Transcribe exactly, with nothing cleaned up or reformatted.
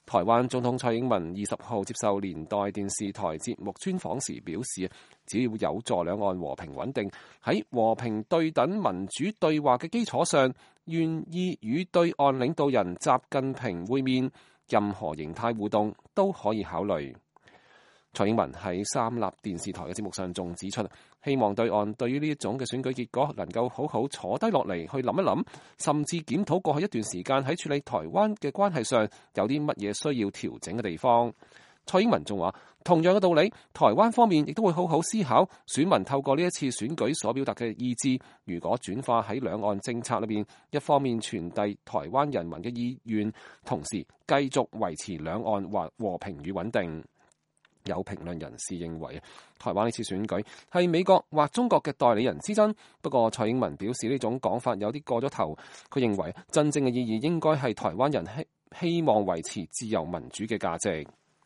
台灣總統蔡英文二十號接受連代電視台節目專訪時表示，只要有助兩岸和平穩定，喺和平對等民主對話嘅基礎上，願意與對岸領導人習近平會面，任何形態互動都可以考慮。蔡英文喺三立電視台嘅節目上仲指出，希望對岸對於呢一種嘅選舉結果能夠好好坐低落嚟去諗一諗，甚至檢討過去一段時間喺處理台灣嘅關係上有啲乜嘢需要調整嘅地方。蔡英文仲話，同樣嘅道理，台灣方面亦都會好好思考選民透過呢一次選舉所表達嘅意志，如果轉化喺兩岸政策裏邊，一方面傳遞台灣人民嘅意願，同時繼續維持兩岸或和平與穩定。有評論人士認為，台灣呢次選舉係美國或中國嘅代理人之爭。不過蔡英文表示呢種講法有啲過咗頭。佢認為真正嘅意義應該係台灣人希希望維持自由民主嘅價值。